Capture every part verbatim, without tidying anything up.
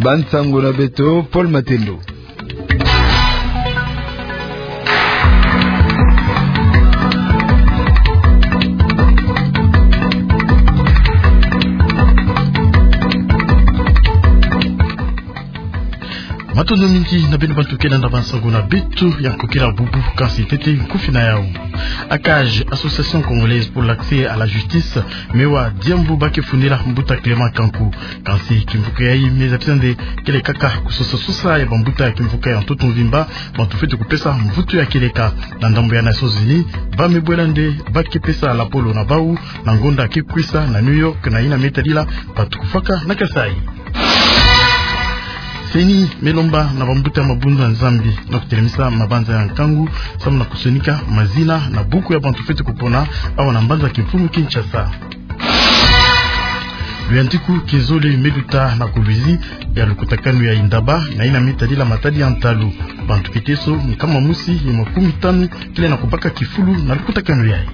Bansango na beto, Paul Matendo. Matondo mingi na beno bantu ke landa bansango na beto ya nkokila bubu, kansi ntete nkufi na yau. ACAJ, Association Congolaise pour l'Accès à la Justice, me wa diambu ba ke fundila mbuta Clément Kanku. Kansi kimvuka yayi me zabisa nde kele kaka kusosa-sosa ya bambuta ya kimvuka ya ntoto mvimba, bantu fwete kupesa mvutu ya kieleka. Na ndambu ya Nations Unies, ba me bwela nde ba ke pesa lapolo na bau na ngonda ke kwisa na New York na yina me tadila bantu kufwaka na Kasaï. CENI me lomba na bambuta ya mabundu ya Nzambi na kutelemisa mabanza ya nkangu samu na kusonika mazina na buku ya bantu fwete kupona awa na mbanza kimfumu Kinshasa. Luyantiku kia zole me luta na kuluzi ya lukutakanu ya Indaba na yina me tadila matadi ya ntalu. Bantu kiteso nkama mosi ye makumi tanu kele na kubaka kifulu na lukutakanu yayi.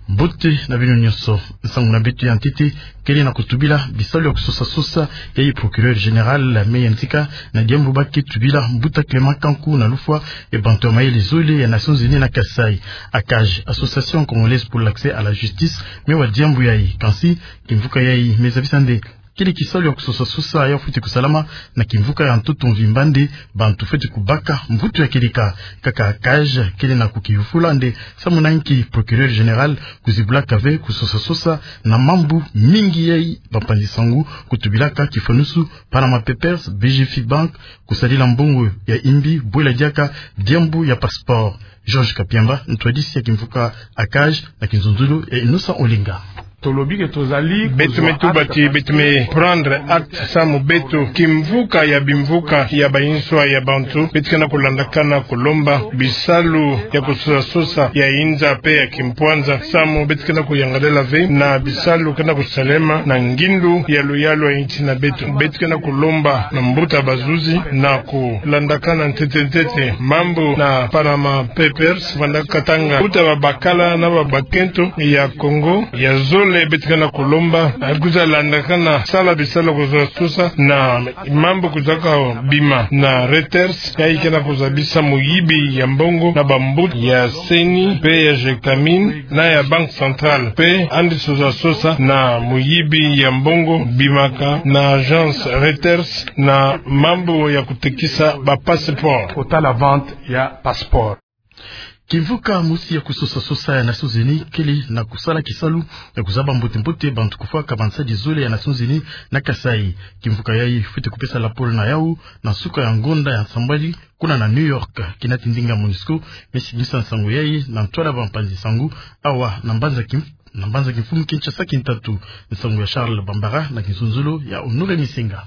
Mbote na beno nyonso. Nsangu na beto ya ntete kele na kutubila bisalu ya kusosa-sosa yayi. Procureur général me yantika na diambu ba ke tubila mbuta Clément Kanku na lufwa ya bantu ya mayele zole ya Nations Unies na Kasaï. ACAJ, Association Congolaise pour l'Accès à la Justice, me wa diambu yayi. Kansi kimvuka yayi me zabisa nde kele kisalu ya kusosa-sosa ya fwete kusalama na kimvuka ya ntoto mvimba nde bantu fwete kubaka mvutu ya kieleka. Kaka ACAJ kele na kukiyufula nde samu na nki procureur général kuzibulaka ve kusosa-sosa na mambu mingi yayi bampanzi-nsangu kutubilaka kifanusu Panama Papers, BGF Bank, kusadila mbongo ya imbi, bwela diaka diambu ya passeport. Georges Kapiamba, ntwadisi ya kimvuka ACAJ, na kinzonzolo ya Innocent Olenga. Beto me tuba ti beto me prendre acte samu beto kimvuka ya bimvuka ya bayinswa ya bantu, beto ke na kulandakana kulomba bisalu ya kusosa-sosa ya inza pe ya kimpwanza, samu beto ke na kuyangalala ve na bisalu ke na kusalema na ngindu ya luyalu ya insi na beto. Beto ke na kulomba na mbuta bazuzi na kulandakana ntete-ntete mambu na Panama Papers, vandaka katanga mbuta babakala na babakento ya Congo ya zole. Beto ke na kulomba, eh, kwiza landakana sala bisalu ya kusosa-sosa na mambu kwizaka bima na Reuters, yayi ke na kuzabisa muyibi ya mbongo na bambuta ya CENI pe ya GECAMINE na ya Banque Centrale, pe yandi sosa-sosa na muyibi ya mbongo bimaka na agence Reuters na mambu ya kutekisa ba passeport. Kota la vente ya passeport. Kimvuka mosi ya kusosa-sosa ya Nations Unies kele na kusala kisalu ya kuzaba mbote-mbote bantu kufwaka bansadi zole ya Nations Unies na Kasaï. Kimvuka yayi fwete kupesa lapolo na yau na nsuka ya ngonda ya nsambwadi kuna na New York. Kinati ndinga MONUSCO me simbisa nsangu yayi na ntwala bampanzi-nsangu awa na mbanza kim-, na mbanza kimfumu Kinshasa kintatu. Nsangu ya Charles Bambara na kinzonzolo ya Honoré Misenga.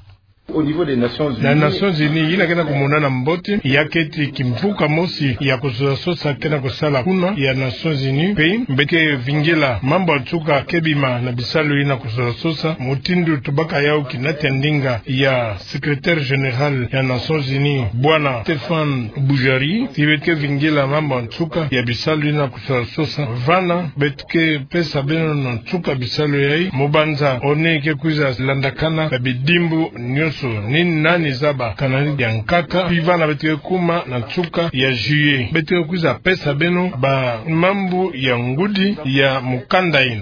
Na Nations Unies, yina ke na kumonana mbote ya keti kimvuka mosi ya kusosa-sosa ke na kusala kuna ya Nations Unies, pe beto ke vingila mambu ya nsuka ke bima na bisalu yina kusosa-sosa, mutindu tubaka yau kinati ya ndinga ya secrétaire général ya Nations Unies, bwana Stéphane Boujary. Ti beto ke vingila mambu ya nsuka ya bisalu yina kusosa-sosa, vana beto ke pesa beno na nsuka bisalu yayi, mu banza ONU ke kwiza landakana na bidimbu nyonso, ni nani zaba kana ni dia nkaka, pi vana beto ke kuma na nsuka ya juillet, beto ke kwiza pesa beno ba mambu ya ngudi ya mukanda yina.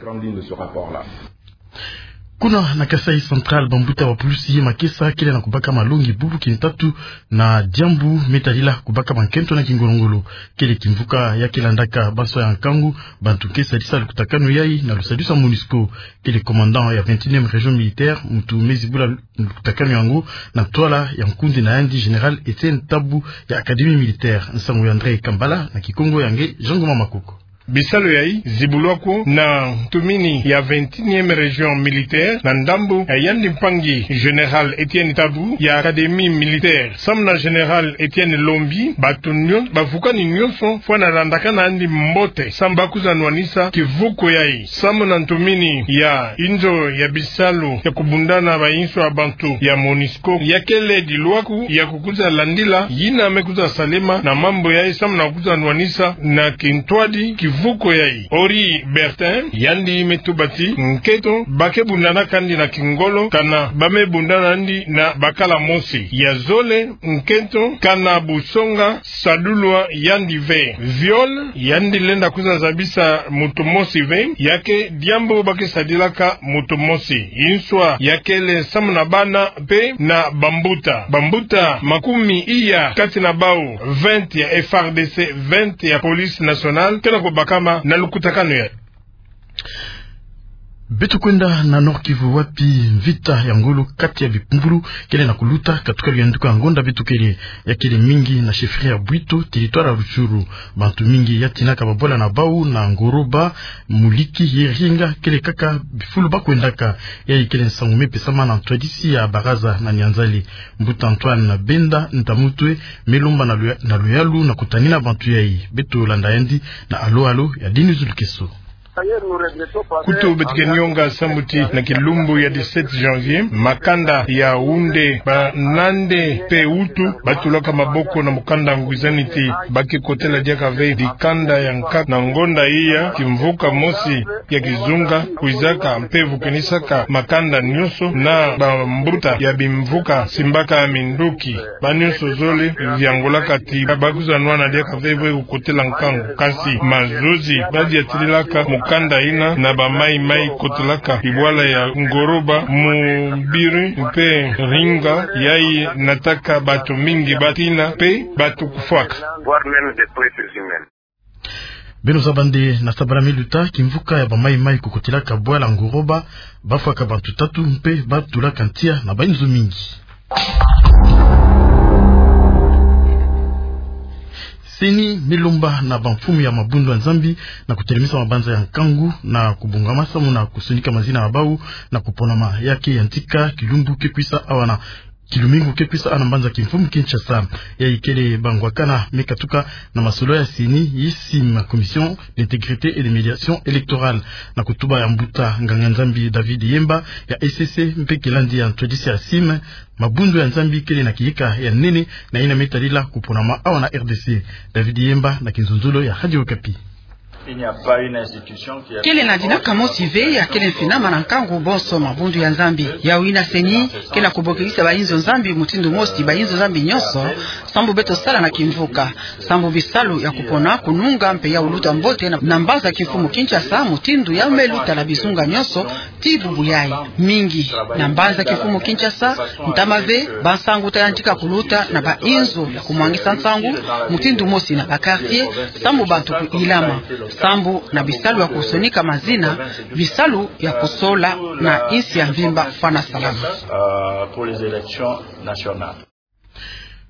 Kuna na Kasaï Central, bambuta ba pulusi ye makesa kele na kubaka malongi bubu kintatu na diambu me tadila kubaka bankento na kingolo-ngolo. Kele kimvuka ya ke landaka banswa ya nkangu bantu ke sadisa lukutakanu yayi na lusadusa MONUSCO. Kele commandant ya vingt et unième région militaire muntu me zibula lukutakanu yango na ntwala ya nkundi na yandi général Etienne Tabu ya Académie militaire. Nsangu ya André Kambala na Kikongo ya nge Jean Ngoma Makoko. Bisalu yayi zibulwa ko na ntumini ya vingt et unième région militaire na ndambu ya yandi mpangi général Etienne Tabu ya Académie militaire. Samu na général Etienne Lombi, bantu nyon-, bavukani nyonso fwana landakana yandi mbote samu ba kwiza nwanisa kivuku yayi. Samu na ntumini ya inzo ya bisalu ya kubunda na bayinswa ya bantu ya MONUSCO, ya kele dilwaku ya kukwiza landila yina me kwiza salema na mambu yayi samu na kwiza nwanisa na kintwadi kivuku Mvuko yayi, Ori Bertin, yandi me tuba ti nkento ba ke bundana kandi na kingolo, kana ba me bundana andi na bakala mosi. Ya zole, nkento kana busonga sadulwa yandi ve. Viol, yandi lenda kwiza zabisa moto mosi ve, ya ke diambu ba ke sadilaka moto mosi. Inswa, ya kele samu na bana mpe na bambuta. Bambuta makumi iya kati na bawu vingt ya F A R D C, vingt ya Police Nationale, kena kubakama na lukutakanu yayi. Beto kwenda na Nord-Kivu, wapi mvita ya ngolo kati ya bipumbulu kele na kuluta, katuka luyanduka ngonda beto kele. Ya kele mingi na chefferie ya Bwito, territoire ya Rutshuru. Bantu mingi ya tinaka babwala na bawu na Ngoroba, Muliki, Yeringa, kele kaka bifulu ba kwendaka. Yayi kele nsangu me pesama na ntwadisi ya baraza na Nyanzale. Mbuta Antoine Benda Ntamutwe me lomba na luya-, na luyalu na kutanina bantu yayi. Beto landa yandi na alo-alo ya Denis Lukeso. Kutu beto ke nionga samu ti na kilumbu ya dix-sept janvier, makanda ya Hunde, Banande mpe Hutu, ba tulaka maboko na mukanda ngwizani ti ba ke kotela diaka ve dikanda ya nkaka na ngonda iya, kimvuka mosi ya kizunga kwizaka mpe vukinisaka makanda nyonso, na bambuta ya bimvuka simbaka minduki. Ba nyonso zole viangolaka ti ba kwiza nwana diaka ve ve kukotela nkangu. Kasi mazozi ba diatililaka mukanda yina na ba maï-maï kotelaka bibwala ya Ngoroba, Mubiri mpe Ringa, yayi nataka bantu mingi ba tina mpe bantu kufwaka. Beno zaba nde na sabala me luta, kimvuka ya ba maï-maï kukotelaka bwala Ngoroba, ba fwaka bantu tatu mpe ba tulaka ntia na ba inzo mingi. CENI me lomba na bamfumu ya mabundu ya Nzambi na kutelemisa mabanza ya nkangu na kubongama samu na kusonika mazina ya bawu na kuponama. Ya ke yantika kilumbu ke kwisa awa na Kilumingu ke kwisa awa na mbanza kimfumu Kinshasa. Yayi kele bangwakana me katuka na masolo ya CENI, yi CIM, Commission d'Intégrité et de Médiation Électorale, na kutuba ya mbuta nganga-Nzambi David Yemba ya E C C mpe kilandi ya ntwadisi ya CIM. Mabundu ya Nzambi kele na kiyika ya nene na yina me tadila kuponama awa na R D C. David Yemba na kinzonzolo ya Radio Okapi. Kele na dinaka mosi ve ya kele mfinama na nkangu bonso mabundu ya Nzambi. Yawu yina CENI ke na kubokilisa ba inzo Nzambi mutindu mosi, ba inzo Nzambi nyonso, sambu beto sala na kimvuka, sambu bisalu ya kupona, kununga mpe ya kuluta mbote na, na mbanza kimfumu Kinshasa, mutindu ya me luta na bizunga nyonso, ti bubu yayi. Mingi na mbanza kimfumu Kinshasa, ntama ve, bansangu ta yantika kuluta na ba inzo ya kumwangisa nsangu, mutindu mosi na ba quartier, sambu bantu kuyilama, sambu na bisalu ya kusonika mazina, bisalu ya kusola na insi ya mvimba fwana salama.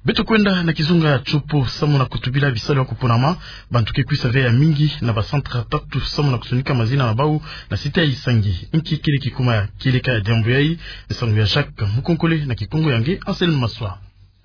Beto kwenda na kizunga ya Tshopo, samu na kutubila bisalu ya kuponama, bantu ke kwisa ve ya mingi na ba centre tatu samu na kusonika mazina na bawu na cité ya Isangi. Nki kele kikuma ya kieleka ya diambu yayi? Nsangu ya Jacques Mukonkole na kikongo ya nge Anselme Maswa.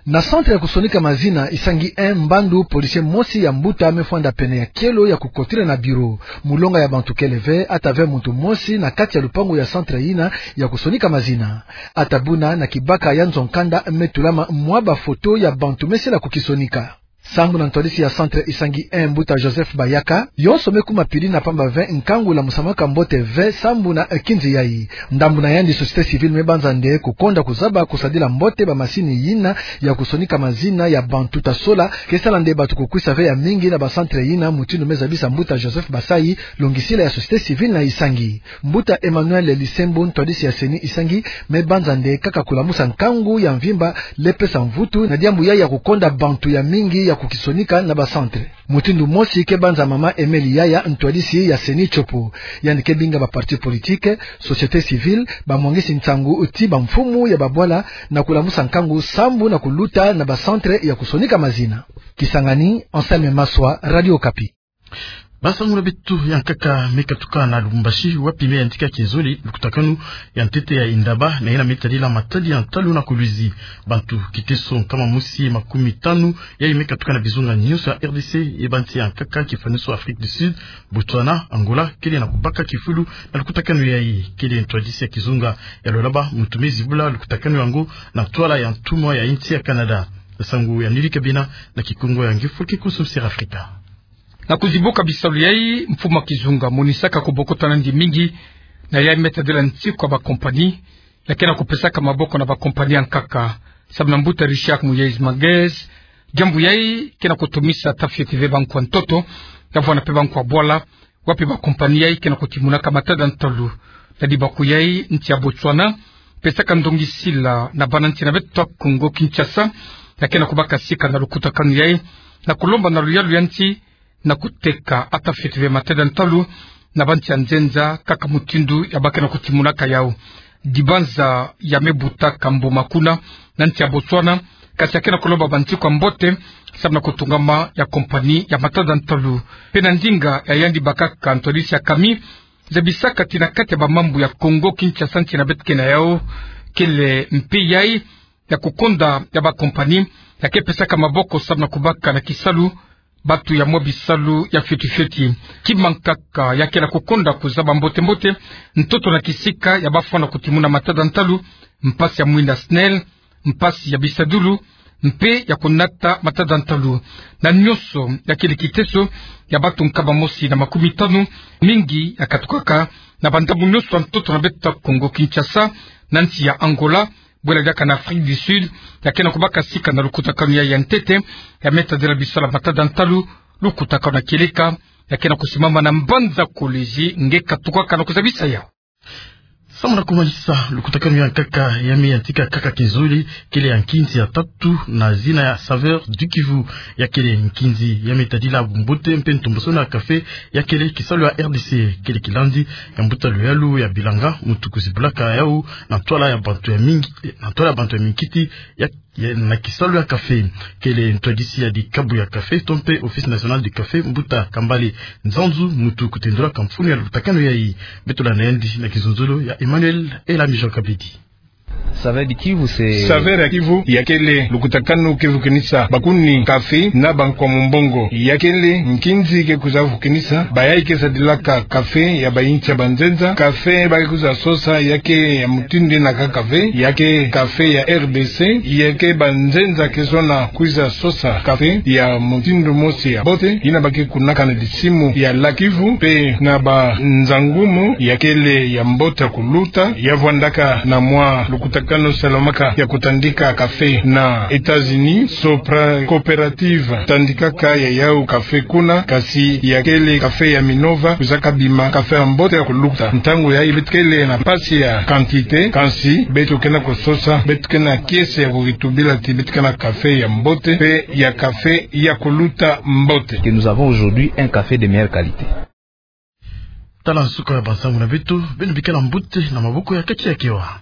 Na centre ya kusonika mazina Isangi un, mbandu policier mosi ya mbuta me fwanda pene ya kielo ya kukotila na bureau. Mulonga ya bantu kele ve, ata ve muntu mosi na kati ya lupangu ya centre yina ya kusonika mazina. Ata buna na kibaka ya nzo-nkanda me tulama mwa ba photo ya bantu me sila kukisonika. Sambu na ntwadisi ya centre Isangi un, mbuta Joseph Bayaka, yonso me kuma pili na pamba ve nkangu lamusamaka mbote ve sambu na, eh, kinzi yayi. Ndambu na yandi société civile me banza nde kukonda kuzaba kusadila mbote ba masini yina ya kusonika mazina ya bantu ta sola, ke sala nde bantu kukwisa ve ya mingi na ba centre yina, mutindu me zabisa mbuta Joseph Basayi, longisila ya société civile na Isangi. Mbuta Emmanuel Lisembo, ntwadisi ya CENI Isangi, me banza nde kaka kulamusa nkangu ya mvimba, le pesa mvutu na diambu yayi ya kukonda bantu ya mingi ya kukisonika na ba centre. Mutindu mosi ke banza mama Emeli Yaya, ntwadisi ya CENI Tshopo. Yandi ke binga ba parti politique, société civile, bamwangisi nsangu ti bamfumu ya babwala na kulamusa nkangu sambu na kuluta na ba centre ya kusonika mazina. Kisangani, Anselme Maswa, Radio Okapi. Basangula beto ya nkaka me katuka na Lubumbashi, wapi me yantika kizole lukutakanu ya ntete ya Indaba na yina me tadila matadi ya ntalu na Kolwezi. Bantu kiteso nkama mosi makumi tanu yayi me katuka na bizunga nyonso ya R D C, ye bansi ya nkaka, kifaniso Afrique du Sud, Botswana, Angola, kele na kubaka kifulu na lukutakanu yayi. Kele ntwadisi ya kizunga ya Lualaba muntu me zibula lukutakanu yango na ntwala ya ntumwa ya insi ya Canada. Nsangu ya Nili Kabina na kikongo ya nge Foke Kusu Sir Africa. Na kuzibuka bisalu yai, mfumu a kizunga amonisaka kubokotana ndi mingi na yai me tadila ntiku a bakompani ya ke na kupesaka maboko na bakompani ya nkaka. Samu na mbuta Richard Muyayis Mages, diambu yai ke na kutumisa ata fioti ve banko ya ntoto, ya vwanda pe banko ya bwala, wapi bakompani yai ke na kutimunaka matada ntalu. Na dibaku yai, nti ya Botswana pesaka ndongisila na bana nti na beto Kongo Kinshasa ya ke na kubaka sika na lukutakanu yai, na kulomba na luyalu ya nti na kuteka ata fioti ve matada ntalu na banti ya nzenza, kaka mutindu ya ba ke na kutimunaka yau. Dibanza ya me butaka mbuma kuna na nti ya Botswana, kasi ya ke na kulomba bantiku ya mbote samu na kutungama ya kompani ya matada ntalu. Pe na ndinga ya yandi bakaka ntwadisi ya kami, zabisaka ti na kati ya bamambu ya Kongo Kinshasa nti na beto ke na yau, kele mpe yai ya kukonda ya bakompani ya ke pesaka maboko samu na kubaka na kisalu bantu ya mwa bisalu ya fioti fioti. Kima nkaka ya ke na kukonda kuzaba mbote mbote ntoto na kisika ya bafwana kutimuna matada ntalu, mpasi ya mwinda SNEL, mpasi ya bisadulu, mpe ya kunata matada ntalu. Na nyonso ya kele kiteso ya bantu nkama mosi na makumi tanu, mingi ya katukaka na bandambu nyonso ya ntoto na beto Kongo Kinshasa, na nti ya Angola, bwela diaka na Afrique du Sud, ya ke na kubaka sika na lukutakanu yai ya ntete ya me tadila bisalu ya matada ntalu. Lukutakanu ya kieleka ya ke na kusimama na mbanza Kolwezi nge katukaka na kuzabisa yau. Samu na kumanisa, lukutakanu ya nkaka ya me yantika kaka kinzole, kele ya nkinzi ya tatu na zina ya Saveurs du Kivu. Ya kele nkinzi ya me tadila bumbote mpe ntombosano ya café ya kele kisalu ya R D C. Kele kilandi ya mbuta luyalu ya bilanga, muntu kuzibulaka yau na ntwala ya bantu ya mingi, na ntwala ya bantu ya minkiti ya, ya, na kisalu ya café. Kele ntwadisi ya dikabu ya café to mpe Office National du Café, mbuta Kambale Nzanzu, muntu kutendulaka mfunu ya lukutakanu yai. Beto landa yandi na kizunzolo ya Emmanuel Elami Jean Kabedi. Saveurs du Kivu, c'est... Saveurs ya Kivu ya kele lukutakanu ke vukinisa bakuni café na banko ya mumbongo. Ya kele nkinzi ke kwiza vukinisa bayai ke sadilaka café ya bayinti ya banzenza, café ba ke kwiza sosa ya ke ya mutindu ina kaka ve, ya ke café ya R D C, ya ke banzenza ke sona kwiza sosa café ya mutindu mosi ya mbote, ina ba ke kunaka na disimu ya Lac Kivu, mpe na banza ngumu ya kele ya mbote ya kuluta, ya vwandaka na mwa lukutakanu salamaka ya kutandika café na États-Unis, Sopra Coopérative tandikaka ya yau café kuna, kasi ya kele café ya Minova kwizaka bima café ya mbote ya kuluta. Ntangu yai beto kele na mpasi ya quantité, kansi beto ke na kusosa, beto ke na kiese ya kukitubila ti beto ke na café ya mbote, mpe ya café ya kuluta mbote. Que nous avons aujourd'hui un café de meilleure qualité. Tala nsuka ya bansangu na beto, beno bikala mbote na maboko ya Kati ya Kewa.